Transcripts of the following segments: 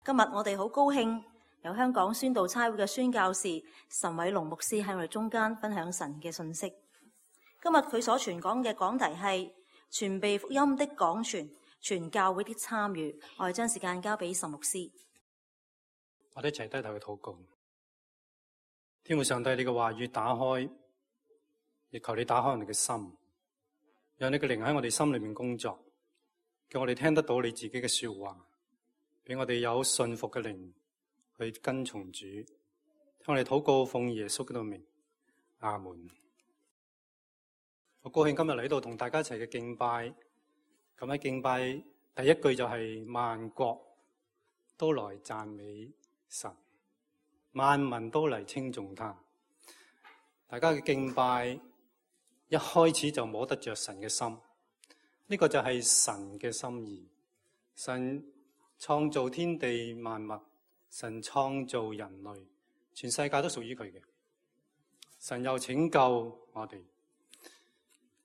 今日我哋好高興由香港宣道差會嘅宣教士岑偉龍牧師喺我哋中間分享神嘅信息。今日佢所傳講嘅講題係傳遞福音的講傳，全教會的參與。我哋將時間交俾岑牧師。我哋一齊低頭去禱告。天父上帝，你嘅話語打開，亦求你打開我哋嘅心，讓你嘅靈喺我哋心裏面工作，叫我哋聽得到你自己嘅說話，俾我哋有信服嘅靈去跟從主。聽我哋禱告，奉耶穌基督名，阿門。我高興今日嚟到同大家一齊嘅敬拜。咁喺敬拜第一句就係萬國都來讚美神，萬民都嚟稱頌他。大家嘅敬拜一開始就摸得着神嘅心，呢個就係神嘅心意。神創造天地萬物，神創造人類，全世界都屬於佢嘅。神又拯救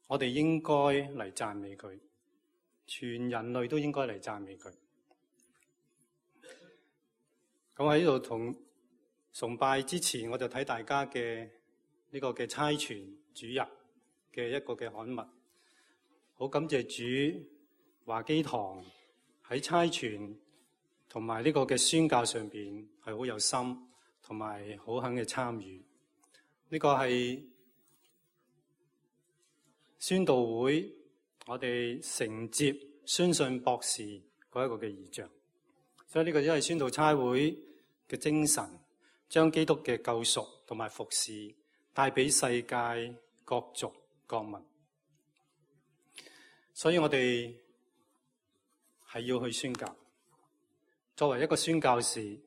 我哋應該嚟讚美佢，全人類都應該嚟讚美佢。咁喺呢度同崇拜之前，我就睇大家嘅呢個嘅差傳主日嘅一個嘅刊物，好感謝主華基堂喺差傳同埋呢個嘅宣教上邊係好有心，同埋好肯嘅參與。呢個係宣道會我哋承接宣信博士嗰一個嘅異象，所以呢個都係宣道差會嘅精神，將基督嘅救贖同埋服侍帶俾世界各族各民。所以我哋係要去宣教。作為一個宣教士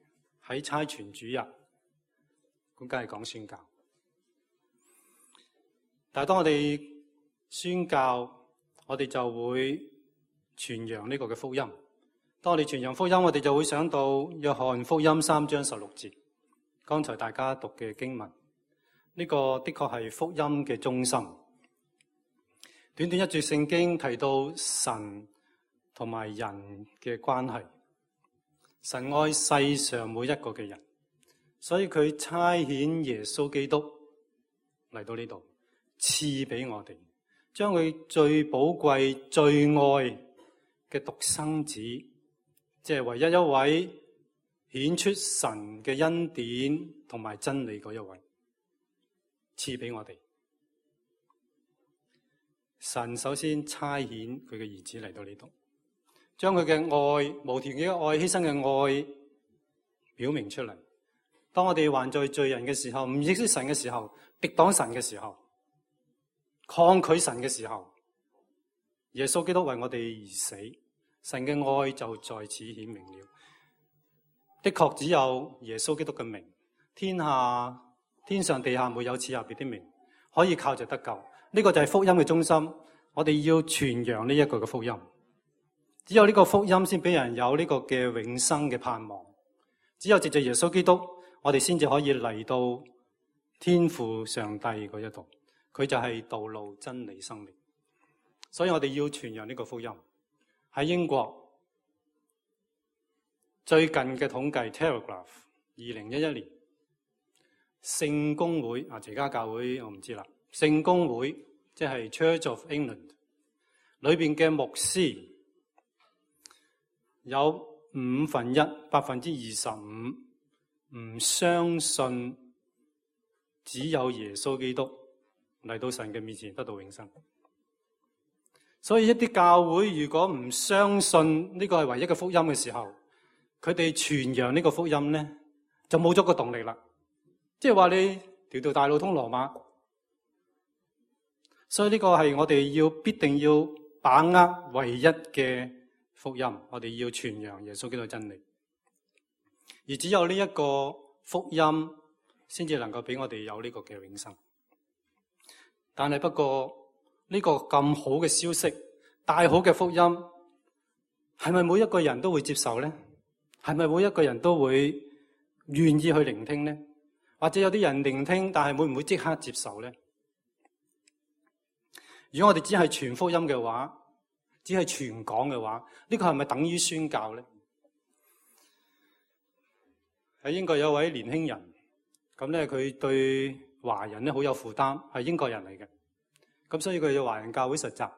喺差傳主日，咁梗係講宣教。但係當我哋宣教，我哋就會傳揚呢個嘅福音。當我哋傳揚福音，我哋就會想到約翰福音3章16節，剛才大家讀嘅經文。呢個的確係福音嘅中心。短短一節聖經提到神同埋人嘅關係。神愛世上每一個嘅人，所以佢差遣耶穌基督嚟到呢度，賜俾我哋，將佢最寶貴、最愛嘅獨生子，即係唯一一位顯出神嘅恩典同埋真理嗰一位，賜俾我哋。神首先差遣佢嘅兒子嚟到呢度，將佢嘅愛、無條件嘅愛、犧牲嘅愛表明出嚟。當我哋還在罪人嘅時候，唔認識神嘅時候，敵擋神嘅時候，抗拒神嘅時候，耶穌基督為我哋而死，神嘅愛就在此顯明了。的確只有耶穌基督嘅名，天上地下沒有賜下別的名，可以靠着得救。呢個就係福音嘅中心，我哋要傳揚呢一個嘅福音。只有呢個福音先俾人有呢個嘅永生嘅盼望。只有藉着耶穌基督，我哋先至可以嚟到天父上帝嗰一度。佢就係道路、真理、生命。所以我哋要傳揚呢個福音。喺英國最近嘅統計 Telegraph 2011年聖公會齊家教會我唔知啦，聖公會即係 Church of England 裏邊嘅牧師有25%唔相信只有耶穌基督嚟到神嘅面前得到永生。所以一啲教會如果唔相信呢個係唯一嘅福音嘅時候，佢哋傳揚呢個福音咧就冇咗個動力啦。即係話你條大路通羅馬。所以呢個係我哋必定要把握唯一嘅福音，我哋要傳揚耶穌基督真理。而只有呢一個福音先至能夠俾我哋有呢個嘅永生。但係不過呢個咁好嘅消息，大好嘅福音，係咪每一個人都會接受呢？係咪每一個人都會願意去聆聽呢？或者有啲人聆聽，但係會唔會即刻接受呢？如果我哋只係傳福音嘅話，只係傳講嘅話，呢個係咪等於宣教呢？喺英國有位年輕人，咁咧佢對華人咧好有負擔，係英國人嚟嘅，咁所以佢去華人教會實習，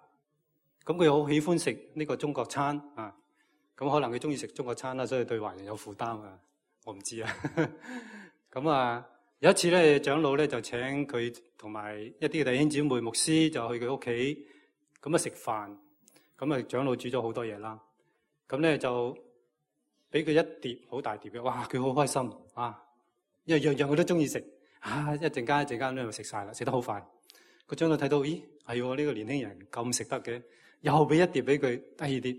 咁佢好喜歡食呢個中國餐啊，咁可能佢中意食中國餐啦，所以對華人有負擔啊，我唔知啊。咁啊，有一次咧，長老咧就請佢同埋一啲嘅弟兄姊妹、牧師就去佢屋企，咁啊食飯，咁啊長老煮咗好多嘢啦，咁咧就俾佢一碟好大碟嘅，哇！佢好開心啊，因為樣樣佢都中意食啊，一陣間咧就食晒啦，食得好快。個長老睇到，咦，係喎，呢個年輕人咁食得嘅，又俾一碟俾佢，第二碟，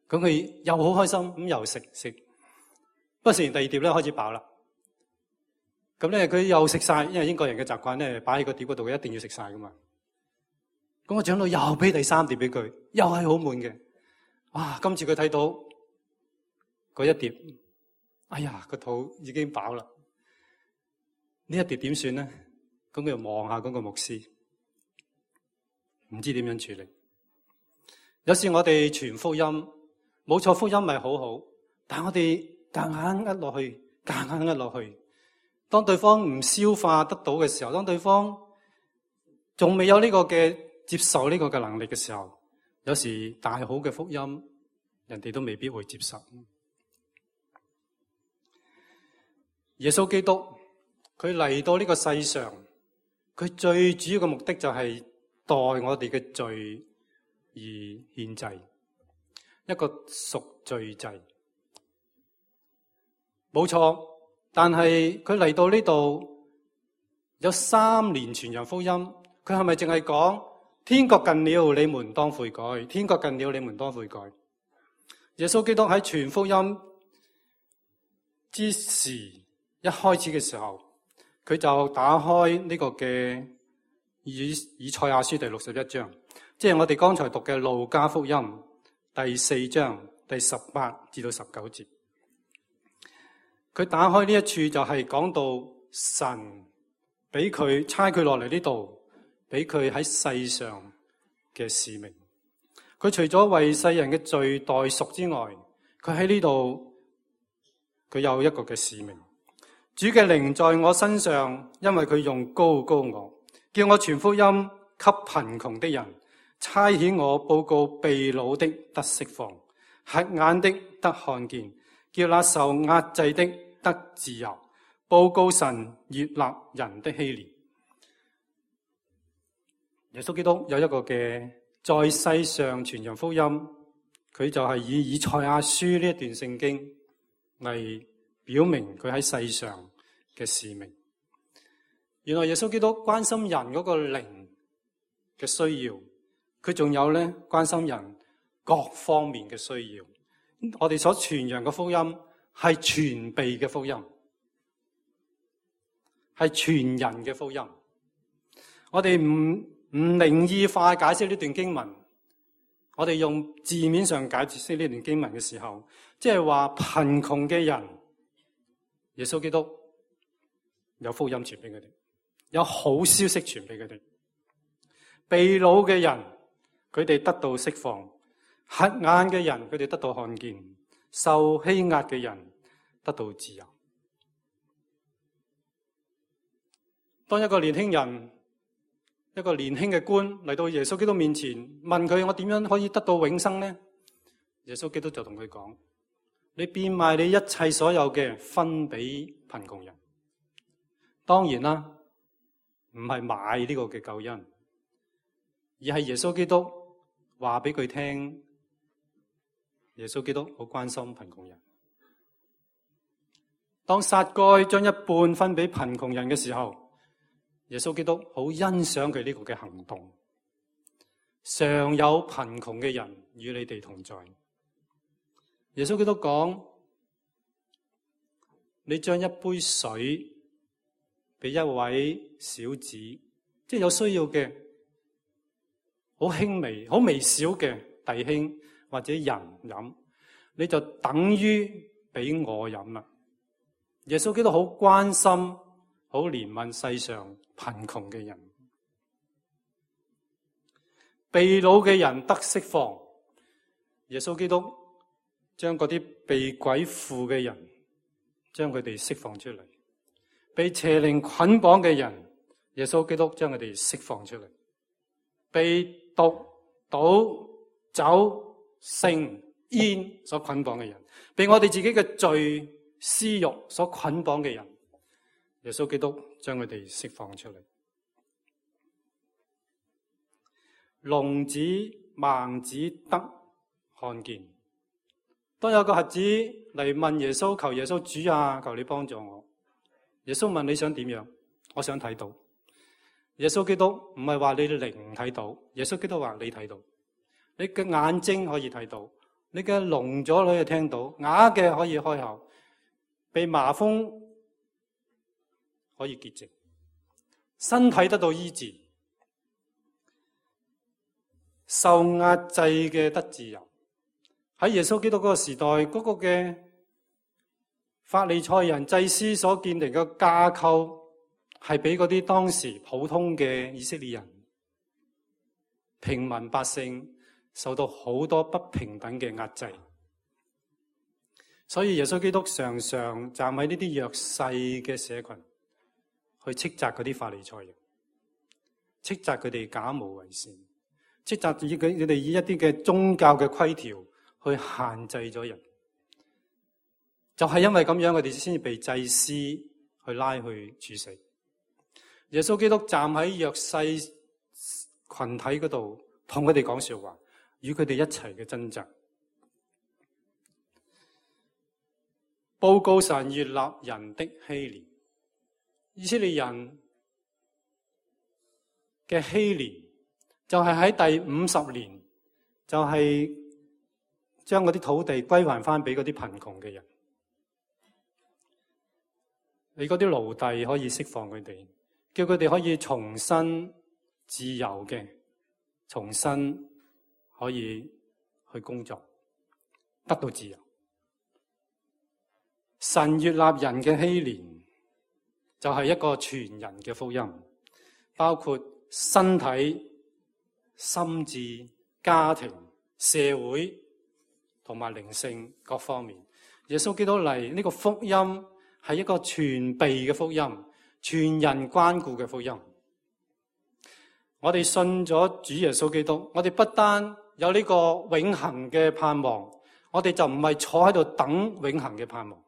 咁佢又好開心，咁又食。不過食完第二碟咧，開始飽啦。咁咧佢又食晒，因為英國人嘅習慣咧，擺喺個碟嗰度，一定要食晒噶嘛。咁個長老又俾第三碟俾佢，又係好滿嘅。哇！今次佢睇到嗰一碟，哎呀，個肚已經飽啦。呢一碟點算咧？咁佢又望下嗰個牧師，唔知點樣處理。有時我哋傳福音，冇錯，福音咪好好，但係我哋夾硬呃落去。當對方唔消化得到嘅時候，當對方仲未有呢個嘅接受呢個嘅能力嘅時候，有時大好嘅福音，人哋都未必會接受。耶穌基督佢嚟到呢個世上，佢最主要嘅目的就係代我哋嘅罪而獻祭，一個贖罪祭，冇錯。但係佢嚟到呢度有3年傳揚福音，佢係咪淨係講天國近了，你們當悔改？天國近了，你們當悔改。耶穌基督喺傳福音之時，一開始嘅時候，佢就打開呢個嘅以賽亞書第61章，即係我哋剛才讀嘅路加福音第4章第18至到19節。佢打開呢一處就係講到神俾佢差佢落嚟呢度，俾佢喺世上嘅使命。佢除咗為世人嘅罪代贖之外，佢喺呢度佢有一個嘅使命。主嘅靈在我身上，因為佢用膏我，叫我傳福音給貧窮的人，差遣我報告被擄的得釋放，瞎眼的得看見，叫那受壓制的得自由，報告神悅納人的禧年。耶穌基督有一個嘅在世上傳揚福音，佢就係以賽亞書呢一段聖經嚟表明佢喺世上嘅使命。原來耶穌基督關心人嗰個靈嘅需要，佢仲有咧關心人各方面嘅需要。我哋所傳揚嘅福音係全備嘅福音，係全人嘅福音。我哋唔靈意化解釋呢段經文，我哋用字面上解釋呢段經文嘅時候，即係話貧窮嘅人，耶穌基督有福音傳俾佢哋，有好消息傳俾佢哋。被擄嘅人，佢哋得到釋放；瞎眼嘅人，佢哋得到看見；受欺壓嘅人得到自由。當一個年輕人，一個年輕嘅官嚟到耶穌基督面前，問佢：我點樣可以得到永生呢？耶穌基督就同佢講：你變賣你一切所有嘅，分俾貧窮人。當然啦，唔係買呢個嘅救恩，而係耶穌基督話俾佢聽，耶穌基督好關心貧窮人。當撒該將一半分俾貧窮人嘅時候，耶穌基督好欣賞佢呢個嘅行動。常有貧窮嘅人與你哋同在。耶穌基督講：你將一杯水俾一位小子，即係有需要嘅，好輕微、好微小嘅弟兄或者人飲，你就等於俾我飲啦。耶穌基督好關心、好憐憫世上貧窮嘅人，被擄嘅人得釋放。耶穌基督將嗰啲被鬼附嘅人將佢哋釋放出嚟；被邪靈捆綁嘅人，耶穌基督將佢哋釋放出嚟；被毒、賭、酒、性、煙所捆綁嘅人，被我哋自己嘅罪、私欲所捆綁嘅人，耶穌基督將佢哋釋放出嚟。聾子、盲子得看見。當有個瞎子嚟問耶穌，求耶穌，主啊，求你幫助我。耶穌問，你想點樣？我想睇到。耶穌基督唔係話你靈睇到，耶穌基督話你睇到。你嘅眼睛可以睇到，你嘅聾咗可以聽到，啞嘅可以開口，被麻風可以潔淨，身體得到醫治，受壓制嘅得自由。喺耶穌基督嗰個時代，嗰個嘅法利賽人祭司所建立嘅架構，係俾嗰啲當時普通嘅以色列人、平民百姓受到好多不平等嘅壓制。所以耶穌基督常常站喺呢啲弱勢嘅社群，去斥責嗰啲法利賽人，斥責佢哋假冒為善，斥責佢哋以一啲嘅宗教嘅規條去限制咗人。就係因為咁樣，佢哋先至被祭司去拉去處死。耶穌基督站喺弱勢群體嗰度，同佢哋講說話，與佢哋一齊嘅掙扎，報告神悅納人的禧年。以色列人嘅禧年就係喺第50年，就係將嗰啲土地歸還翻俾嗰啲貧窮嘅人。你嗰啲奴隸可以釋放佢哋，叫佢哋可以重新自由嘅，重新可以去工作，得到自由。神悅納人嘅禧年，就係一個全人嘅福音，包括身體、心智、家庭、社會同埋靈性各方面。耶穌基督嚟呢個福音係一個全備嘅福音，全人關顧嘅福音。我哋信咗主耶穌基督，我哋不單有呢個永恆嘅盼望，我哋就唔係坐喺度等永恆嘅盼望。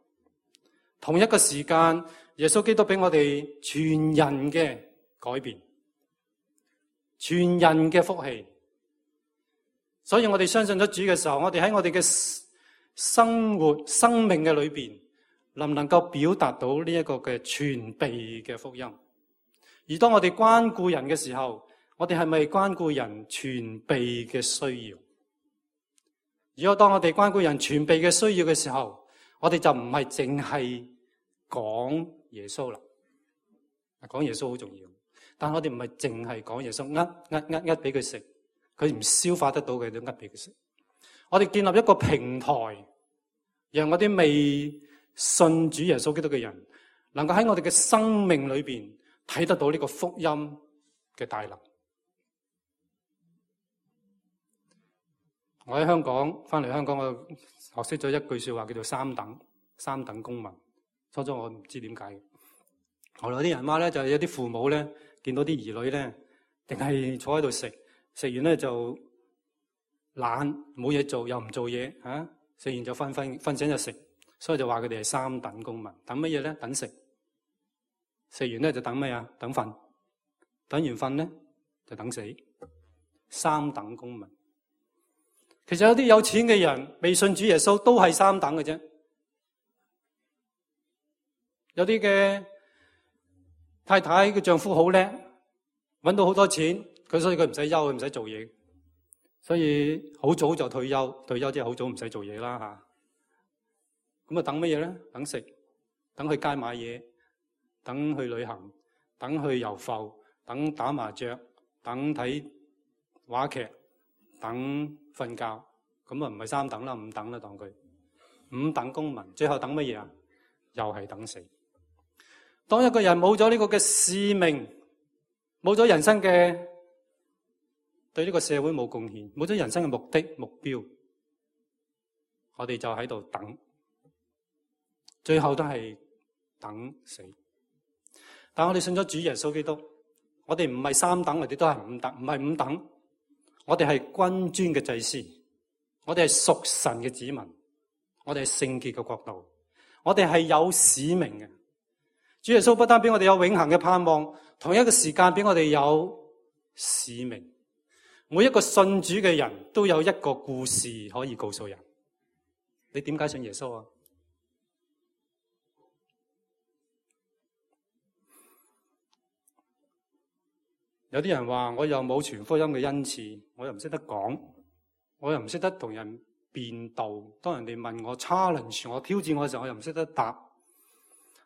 同一個時間，耶穌基督俾我哋全人嘅改變，全人嘅福氣。所以我哋相信咗主嘅時候，我哋喺我哋嘅生活、生命嘅裏邊，能唔能夠表達到呢一個嘅全備嘅福音？而當我哋關顧人嘅時候，我哋係咪關顧人全備嘅需要？如果當我哋關顧人全備嘅需要嘅時候，我哋就唔係淨係講耶穌啦。講耶穌好重要，但我哋唔係淨係講耶穌，呃俾佢食，佢唔消化得到嘅都呃俾佢食。我哋建立一個平台，讓嗰啲未信主耶穌基督嘅人，能夠喺我哋嘅生命裏邊睇得到呢個福音嘅大能。我喺香港翻嚟香港，我學識咗一句說話，叫做三等公民。初初我唔知點解嘅，後來啲人話咧，就係有啲父母咧，見到啲兒女咧，定係坐喺度食完咧就懶，冇嘢做又唔做嘢嚇，食完就瞓醒就食，所以就話佢哋係三等公民。等乜嘢咧？等食，食完咧就等咩啊？等瞓，等完瞓咧就等死。三等公民。其實有啲有錢嘅人未信主耶穌都係三等嘅啫。有啲嘅太太嘅丈夫好叻，搵到好多錢，所以佢唔使休，佢唔使做嘢，所以好早就退休。退休即係好早唔使做嘢啦吓。咁啊等乜嘢咧？等食，等去街買嘢，等去旅行，等去遊埠，等打麻雀，等睇話劇，等瞓覺。咁啊唔係三等啦，五等啦，當佢五等公民。最後等乜嘢啊？又係等死。當一個人冇咗呢個嘅使命，冇咗人生嘅對呢個社會冇貢獻，冇咗人生嘅目的目標，我哋就喺度等，最後都係等死。但我哋信咗主耶穌基督，我哋唔係三等，我哋都係五等，唔係五等。我哋係君尊嘅祭司，我哋係屬神嘅子民，我哋係聖潔嘅國度，我哋係有使命嘅。主耶穌不單俾我哋有永恆嘅盼望，同一個時間俾我哋有使命。每一個信主嘅人都有一個故事可以告訴人。你點解信耶穌啊？有啲人話我又冇傳福音嘅恩賜，我又唔識得講，我又唔識得同人辯道。當人哋問我 challenge 我挑戰我嘅時候，我又唔識得答。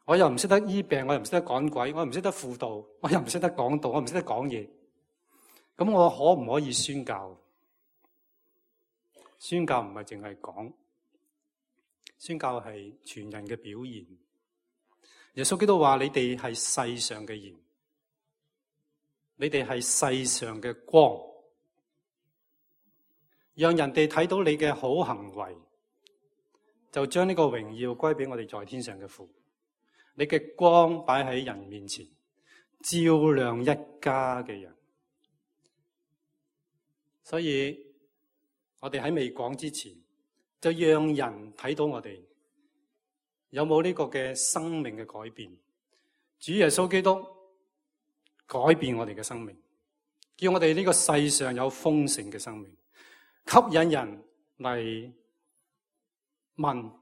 我又唔識得醫病，我又唔識得趕鬼，我又唔識得輔導，我又唔識得講道，我唔識得講嘢。咁我可唔可以宣教？宣教唔係淨係講，宣教係全人嘅表現。耶穌基督話：你哋係世上嘅鹽，你哋係世上嘅光，讓人哋睇到你嘅好行為，就將呢個榮耀歸俾我哋在天上嘅父。你嘅光擺喺人面前，照亮一家嘅人。所以我哋喺未講之前，就讓人睇到我哋有冇呢個嘅生命嘅改變。主耶穌基督改變我哋嘅生命，叫我哋呢個世上有豐盛嘅生命，吸引人嚟問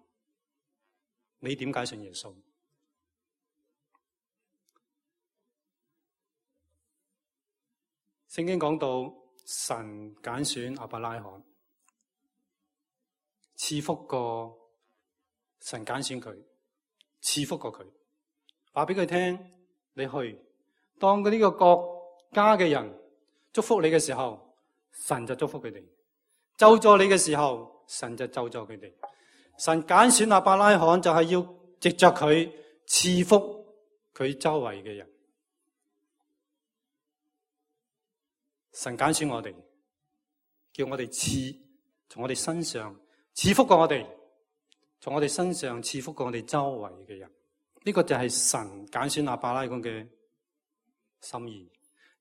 你點解信耶穌。聖經講到神揀選亞伯拉罕，賜福過神揀選佢，賜福過佢，話俾佢聽，你去當呢個國家嘅人祝福你嘅時候，神就祝福佢哋；咒詛你嘅時候，神就咒詛佢哋。神揀選亞伯拉罕就係要藉着佢賜福佢周圍嘅人。神揀選我哋，叫我哋從我哋身上賜福過我哋，從我哋身上賜福過我哋周圍嘅人。呢個就係神揀選亞伯拉罕嘅心意，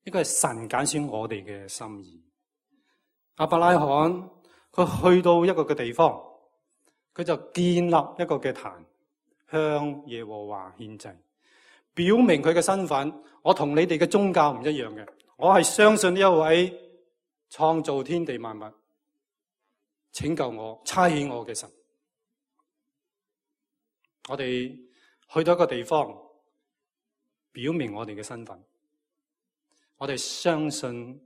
呢個係神揀選我哋嘅心意。亞伯拉罕佢去到一個嘅地方，佢就建立一個嘅壇，向耶和華獻祭，表明佢嘅身份。我同你哋嘅宗教唔一樣嘅。我係相信呢一位創造天地萬物、拯救我、差遣我嘅神。我哋去到一個地方，表明我哋嘅身份。我哋相信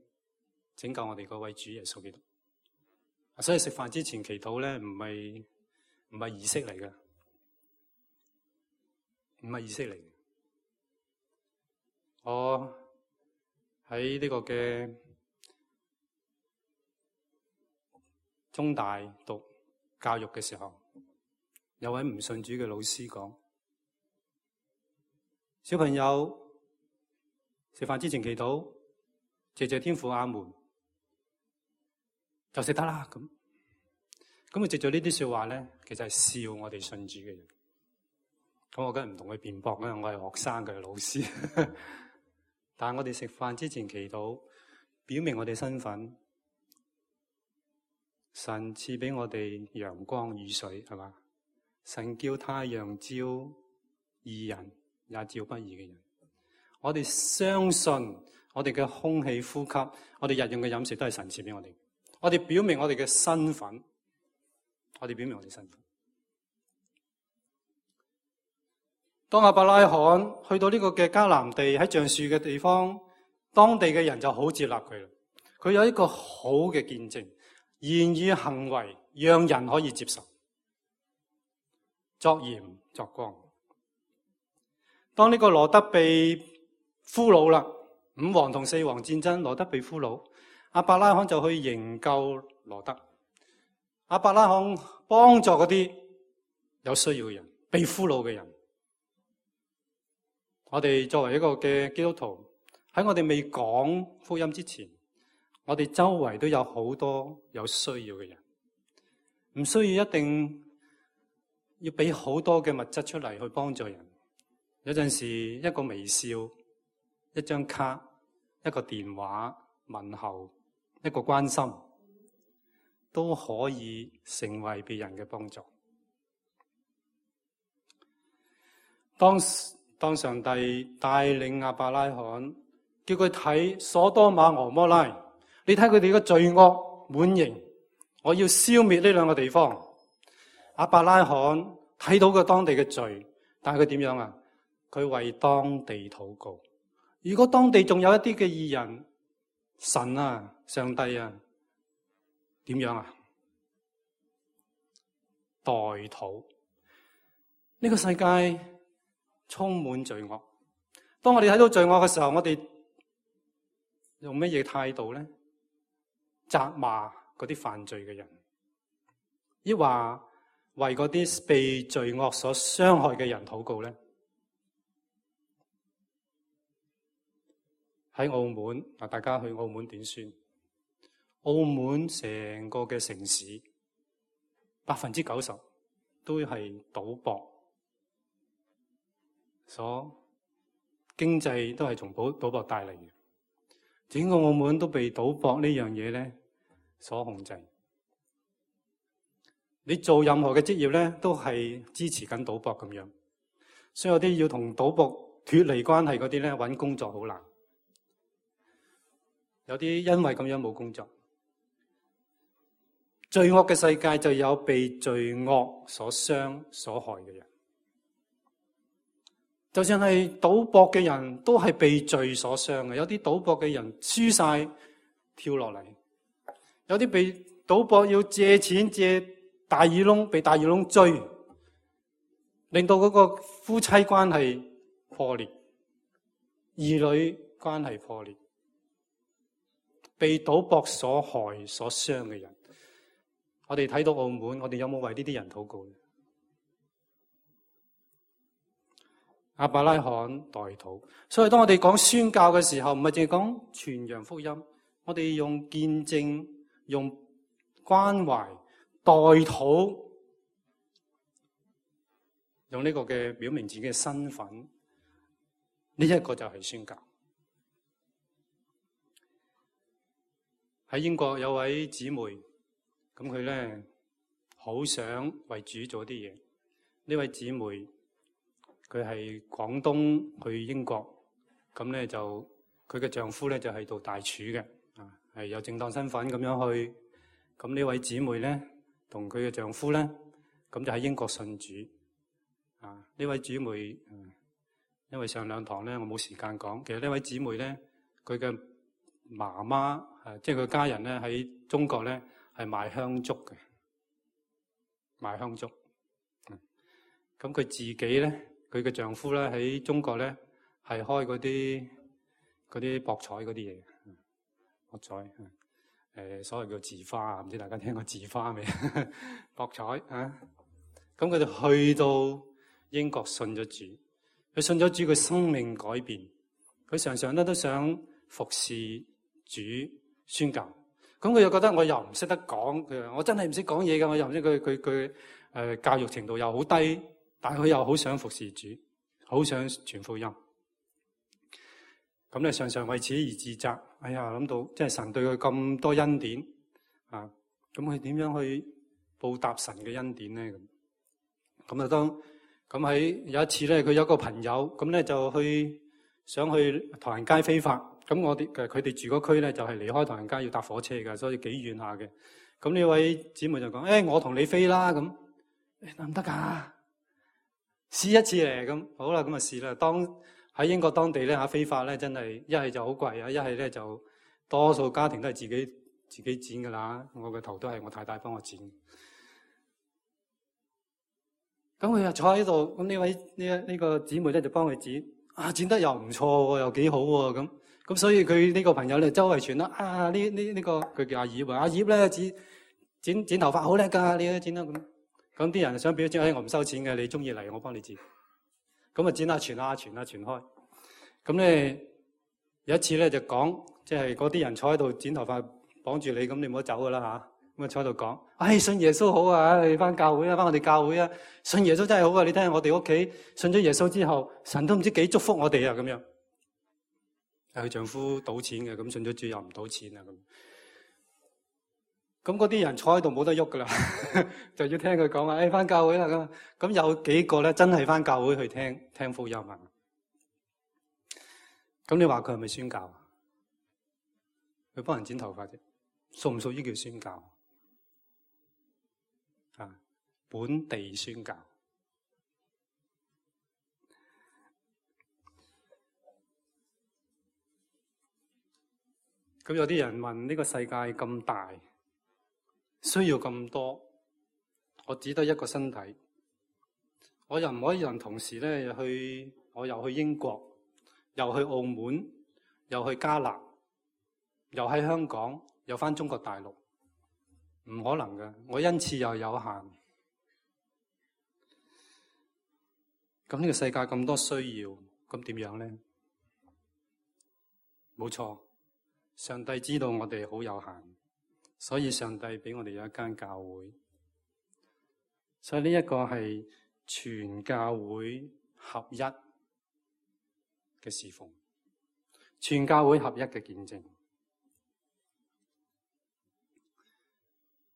拯救我哋嗰位主耶穌基督。所以食飯之前祈禱咧，唔係儀式嚟嘅，唔係儀式嚟嘅。我喺呢個嘅中大讀教育嘅時候，有位唔信主嘅老師講：小朋友食飯之前祈禱，謝謝天父阿門，就食得啦。咁佢藉咗呢啲說話咧，其實係笑我哋信主嘅人。咁我梗係唔同佢辯駁啦，我係學生嘅老師。但係我哋食飯之前祈禱，表明我哋身份。神賜俾我哋陽光雨水，係嘛？神叫太陽照義人，也照不義嘅人。我哋相信我哋嘅空氣呼吸，我哋日用嘅飲食都係神賜俾我哋。我哋表明我哋嘅身份，我哋表明我哋身份。當亞伯拉罕去到呢個嘅迦南地，喺橡樹嘅地方，當地嘅人就好接納佢啦。佢有一個好嘅見證，言語行為讓人可以接受，作鹽作光。當呢個羅得被俘虜啦，5王同4王戰爭，羅得被俘虜，亞伯拉罕就去營救羅得。亞伯拉罕幫助嗰啲有需要嘅人，被俘虜嘅人。我哋作為一個嘅基督徒，喺我哋未講福音之前，我哋周圍都有好多有需要嘅人，唔需要一定要俾好多嘅物質出嚟去幫助人。有陣時一個微笑、一張卡、一個電話問候、一個關心，都可以成為別人嘅幫助。當上帝帶領亞伯拉罕，叫佢睇所多瑪俄摩拉，你睇佢哋嘅罪惡滿盈，我要消滅呢兩個地方。亞伯拉罕睇到個當地嘅罪，但係佢點樣啊？佢為當地禱告。如果當地仲有一啲嘅義人，神啊，上帝啊，點樣啊？代禱。呢個世界充滿罪惡。當我哋睇到罪惡嘅時候，我哋用乜嘢態度咧？責罵嗰啲犯罪嘅人，抑或為嗰啲被罪惡所傷害嘅人禱告咧？喺澳門啊，大家去澳門點算？澳門成個嘅城市90%都係賭博，經濟都係從賭博帶嚟嘅。整個澳門都被賭博呢樣嘢咧所控制。你做任何嘅職業咧，都係支持緊賭博咁樣。所以有啲要同賭博脫離關係嗰啲咧，搵工作好難。有啲因為咁樣冇工作。罪惡嘅世界就有被罪惡所傷所害嘅人。就算係賭博嘅人都係被罪所傷嘅。有啲賭博嘅人輸晒跳落嚟，有啲被賭博要借錢借大耳窿，被大耳窿追，令到嗰個夫妻關係破裂，兒女關係破裂，被賭博所害所傷嘅人。我哋睇到澳門，我哋有冇為呢啲人禱告？亞伯拉罕代禱。所以當我哋講宣教嘅時候，唔係淨係講傳揚福音，我哋用見證、用關懷、代禱，用呢個嘅表明自己嘅身份，呢一個就係宣教。喺英國有位姊妹，咁佢咧好想為主做啲嘢。呢位姊妹佢係廣東去英國，咁咧就佢嘅丈夫咧就係做大廚嘅，係有正當身份咁樣去。咁呢位姊妹咧同佢嘅丈夫咧，咁就喺英國信主。呢位姊妹，因為上兩堂咧我冇時間講，其實呢位姊妹咧佢嘅媽媽，即係佢家人咧喺中國咧係賣香燭嘅，賣香燭。咁佢自己咧，佢嘅丈夫咧喺中國咧係開嗰啲博彩嗰啲嘢，博彩，所謂叫字花啊，唔知大家聽過字花未？博彩啊，咁佢就去到英國信咗主，佢信咗主，佢生命改變，佢常常都想服侍主宣教。咁佢又覺得我又唔識得講，佢話我真係唔識講嘢㗎，我又唔識佢教育程度又好低，但係佢又好想服侍主，好想傳福音。咁咧常常為此而自責。哎呀，諗到即係神對佢咁多恩典啊，咁佢點樣去報答神嘅恩典咧？咁咁喺有一次咧，佢有一個朋友咁咧就想去唐人街飛發。咁佢哋住嗰區咧就係離開唐人街要搭火車㗎，所以幾遠下嘅。咁呢位姊妹就講：我同你飛啦，咁得唔得㗎？試一次嚟咁，好啦，咁就試啦。喺英國當地咧飛發咧，真係一係就好貴啊，一係咧就多數家庭都係自己剪㗎啦。我個頭都係我太太幫我剪。咁佢又坐喺度，咁呢個姊妹咧就幫佢剪，剪得又唔錯喎，又幾好喎，咁所以佢呢個朋友咧周圍傳啦，呢個佢叫阿葉啊，阿葉咧剪頭髮好叻㗎，你都剪得咁。咁啲人想表示我唔收錢嘅，你中意嚟我幫你剪。咁啊剪下傳開。咁咧有一次咧就講，即係嗰啲人坐喺度剪頭髮綁住你，咁你唔好走㗎啦嚇。咁啊坐喺度講，信耶穌好啊，你翻教會啊，翻我哋教會啊，信耶穌真係好啊！你睇下我哋屋企信咗耶穌之後，神都唔知幾祝福我哋啊咁樣。佢丈夫賭錢嘅，咁信咗主又唔賭錢啊咁。咁嗰啲人坐喺度冇得喐噶啦，就要聽佢講話，翻教會啦咁。咁有幾個咧真係翻教會去聽福音啊？咁你話佢係咪宣教？佢幫人剪頭髮啫，屬唔屬於叫宣教？啊，本地宣教。咁有啲人問，呢個世界咁大，需要咁多，我只得一個身體，我又唔可以人同時咧我又去英國，又去澳門，又去加納，又喺香港，又返中國大陸，唔可能嘅。我恩賜又有限，咁呢個世界咁多需要，咁點樣咧？冇錯，上帝知道我哋好有限，所以上帝俾我哋有一間教會，所以呢一個係全教會合一嘅侍奉，全教會合一嘅見證。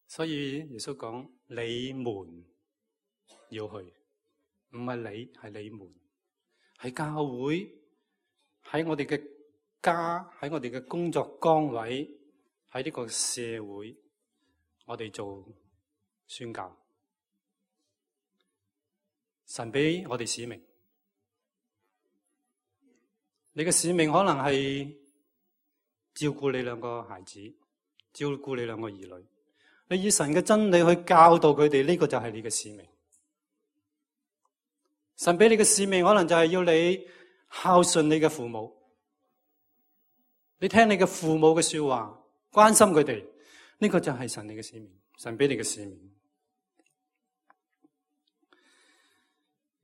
所以耶穌講：你們要去，唔係你，係你們，係教會，喺我哋嘅家，喺我哋嘅工作崗位，喺呢個社會，我哋做宣教。神俾我哋使命，你嘅使命可能係照顧你兩個孩子，照顧你兩個兒女。你以神嘅真理去教導佢哋，呢個就係你嘅使命。神俾你嘅使命可能就係要你孝順你嘅父母，你聽你嘅父母嘅說話，關心佢哋，呢個就係神你嘅使命，神俾你嘅使命。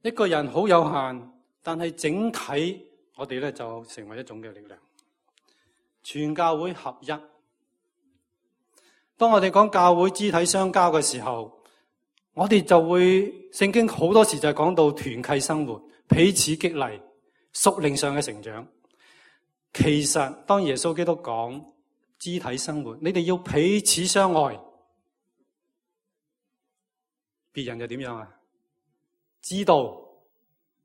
一個人好有限，但係整體我哋咧就成為一種嘅力量，全教會合一。當我哋講教會肢體相交嘅時候，我哋就會聖經好多時就係講到團契生活，彼此激勵，屬靈上嘅成長。其實當耶穌基督講肢體生活，你哋要彼此相愛，別人又點樣啊？知道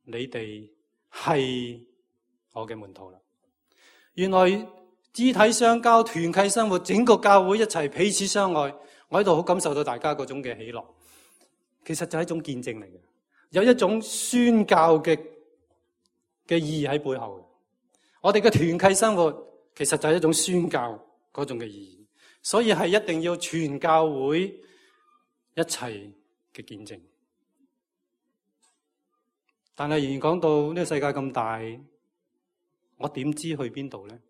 你哋係我嘅門徒啦。原來肢體相交、團契生活，整個教會一齊彼此相愛，我喺度好感受到大家嗰種嘅喜樂。其實就係一種見證嚟嘅，有一種宣教嘅意義喺背後。我哋嘅團契生活其實就係一種宣教嗰種嘅意義，所以係一定要全教會一齊嘅見證。但係仍然講到呢個世界咁大，我點知去邊度呢？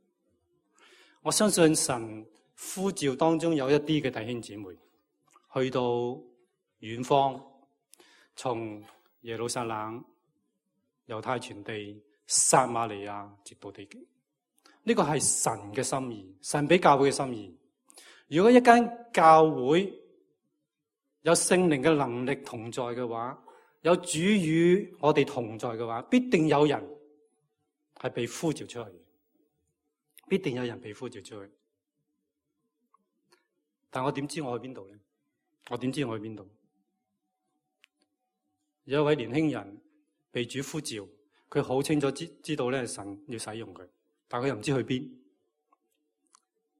我相信神呼召當中有一啲嘅弟兄姊妹去到遠方，從耶路撒冷、猶太全地、撒瑪利亞直到地極。呢個係神嘅心意，神俾教會嘅心意。如果一間教會有聖靈嘅能力同在嘅話，有主與我哋同在嘅話，必定有人係被呼召出去，必定有人被呼召出去。但我點知我去邊度呢？我點知我去邊度？有一位年輕人被主呼召，佢好清楚知道咧，神要使用佢，但佢又唔知去邊。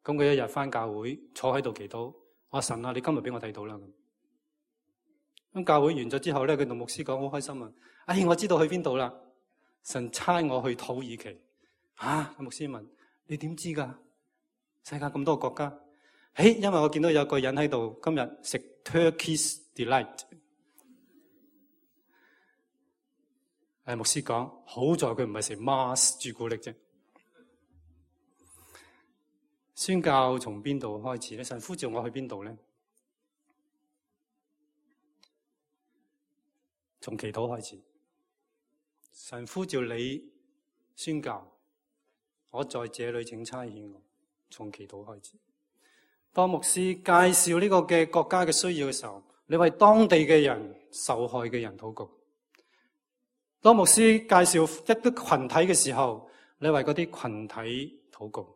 咁佢一日返教會坐喺度祈禱，我話神啊，你今日俾我睇到啦。咁教會完咗之後咧，佢同牧師講好開心啊！我知道去邊度啦，神差我去土耳其。牧師問你點知㗎？世界咁多國家，因為我見到有個人喺度今日食 Turkish Delight。牧師講好在佢唔係食 Mars 朱古力啫。宣教從邊度開始咧？神呼召我去邊度咧？從祈禱開始。神呼召你宣教，我在這裏請差遣我。從祈禱開始。當牧師介紹呢個嘅國家嘅需要嘅時候，你為當地嘅人、受害嘅人禱告；當牧師介紹一啲群體嘅時候，你為嗰啲群體禱告。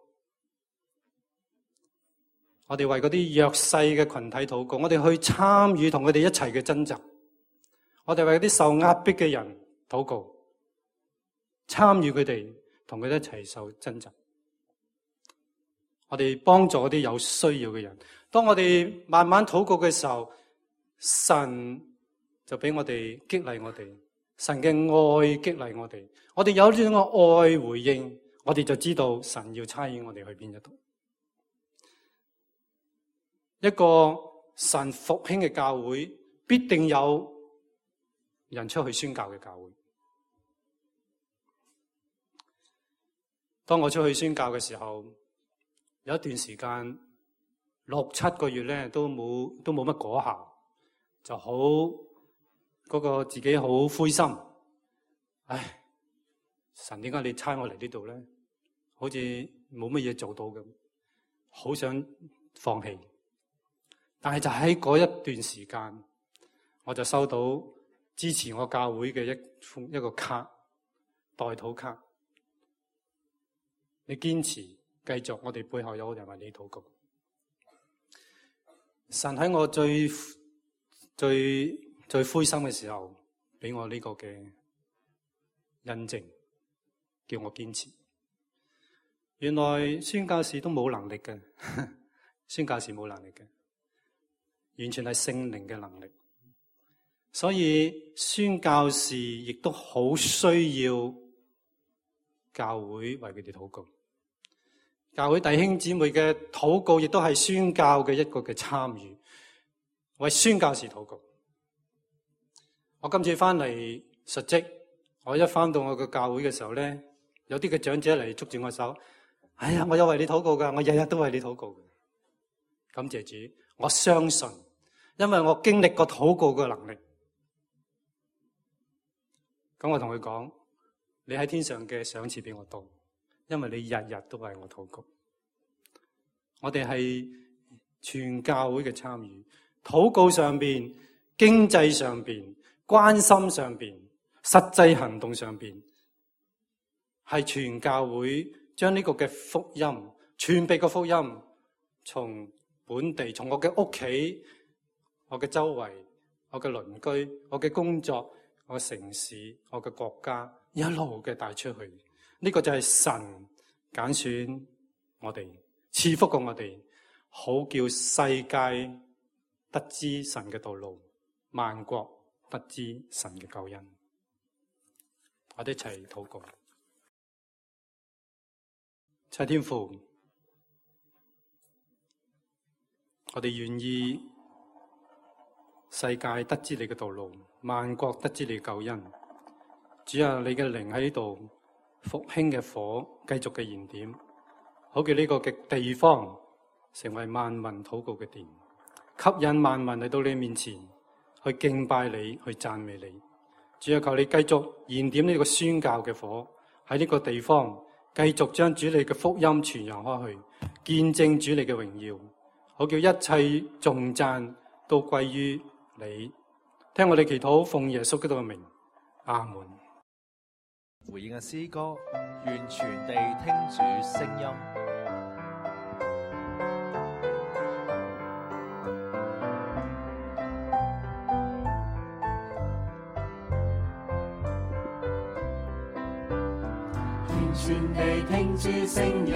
我哋為嗰啲弱勢嘅群體禱告，我哋去參與同佢哋一齊嘅掙扎。我哋為嗰啲受壓迫嘅人禱告，參與佢哋，同佢哋一齊受掙扎。我哋幫助嗰啲有需要嘅人。當我哋慢慢禱告嘅時候，神就俾我哋激勵我哋，神嘅愛激勵我哋。我哋有呢種嘅愛回應，我哋就知道神要差遣我哋去邊一度。一個神復興嘅教會，必定有人出去宣教嘅教會。當我出去宣教嘅時候，有一段時間6-7個月咧，都冇乜果效，就好嗰個自己好灰心。唉，神點解你差我嚟呢度咧？好似冇乜嘢做到咁，好想放棄。但係就喺嗰一段時間，我就收到支持我教會嘅一個卡，代禱卡。你堅持繼續，我哋背後有人為你禱告。神喺我最灰心嘅時候，俾我呢個嘅印證，叫我堅持。原來宣教士都冇能力嘅，宣教士冇能力嘅。完全係聖靈嘅能力，所以宣教士亦都好需要教會為佢哋禱告。教會弟兄姊妹嘅禱告亦都係宣教嘅一個嘅參與，為宣教士禱告。我今次翻嚟述職，我一翻到我嘅教會嘅時候咧，有啲嘅長者嚟捉住我手，哎呀，我有為你禱告噶，我日日都為你禱告。感謝主，我相信，因為我經歷過禱告嘅能力。咁我同佢講，你喺天上嘅賞賜比我多，因為你日日都為我禱告。我哋係全教會嘅參與，禱告上邊、經濟上邊、關心上邊、實際行動上邊，係全教會將呢個嘅福音、傳遞嘅福音，從本地，從我嘅屋企、我嘅周圍、我嘅鄰居、我嘅工作、我嘅城市、我嘅國家，一路嘅帶出去。呢個就係神揀選我哋，賜福過我哋，好叫世界得知神嘅道路，萬國得知神嘅救恩。我哋一齊禱告。親天父，我哋願意世界得知你嘅道路，萬國得知你嘅救恩。主啊，你嘅靈喺呢度，復興嘅火繼續嘅燃點，好叫呢個嘅地方成為萬民禱告嘅殿，吸引萬民嚟到你面前去敬拜你，去讚美你。主啊，求你繼續燃點呢個宣教嘅火喺呢個地方，繼續將主你嘅福音傳揚開去，見證主你嘅榮耀，好叫一切頌讚都歸於你。聽我哋祈禱，奉耶穌基督嘅名，阿門。回應嘅詩歌，願全地聽主聲音。願全地聽主聲音，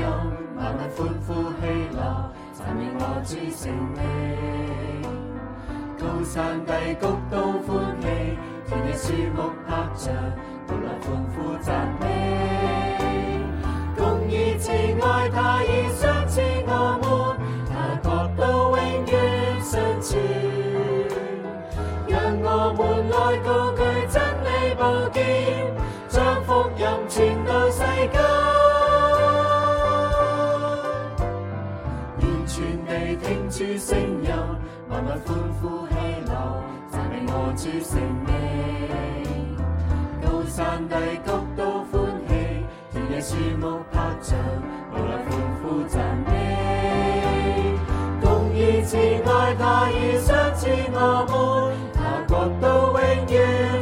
萬民歡呼喜樂，讚美我主聖名。高山低谷都歡喜，田野樹木拍掌，都來歡呼讚美。公義慈愛他已賞賜我們，他國度永遠常存。讓我們來高舉真理寶劍，將福音傳到世間。願全地聽主聲音，萬民歡呼喜樂，讚美我主聖名。高山低谷都歡喜，田野樹木拍掌，都來歡呼讚美。公慈愛他已相似我們，他國度永遠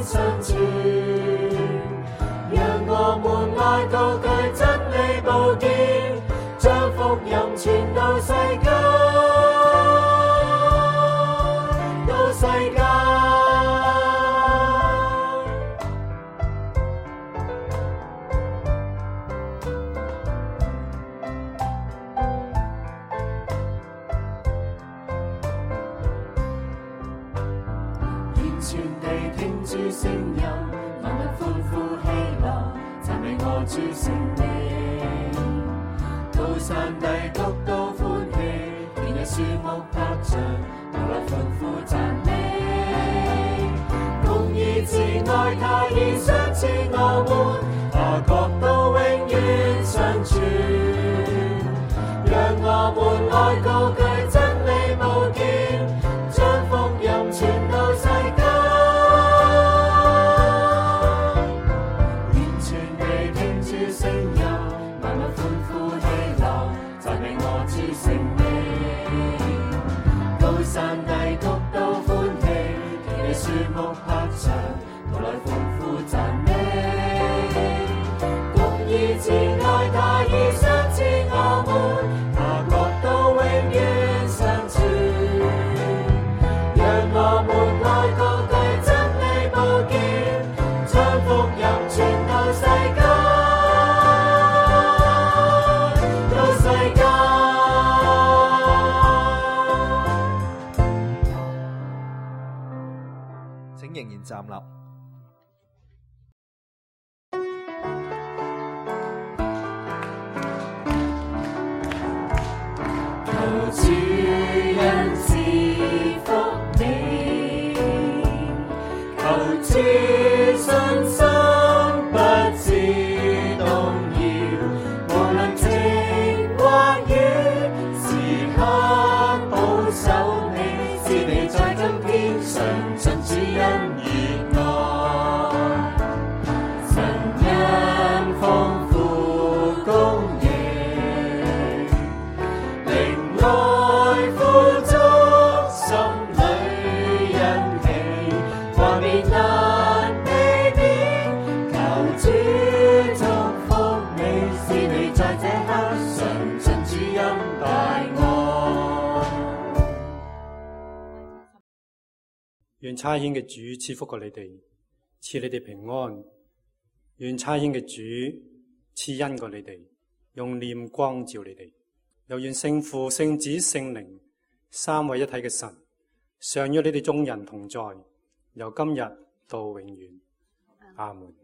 長存。讓我們來高舉真理寶劍，將福音傳到世界，到世界。全地聽主聲音，萬物歡呼喜樂，讚美我主聖名。高山低谷都歡喜，田野樹木拍掌，都來歡呼讚美。公義慈愛他已相似我們，他國度永遠長存。讓我們來高舉真理寶劍，將福音傳到世界。山低谷都歡喜，田野樹木拍掌，都來歡呼讚美。公義慈愛他已相似我們，他國度永遠長存。讓我們來高舉真理寶劍，將福音傳到世界，到世界。仍然站立。求主恩賜福你，求主信心不致動搖，無論晴或雨，時刻保守你，使你在今天上進主恩。願差遣嘅主賜福過你哋，賜你哋平安。願差遣嘅主賜恩過你哋，用臉光照你哋。又願聖父、聖子、聖靈三位一體嘅神常與你哋眾人同在，由今日到永遠。阿門。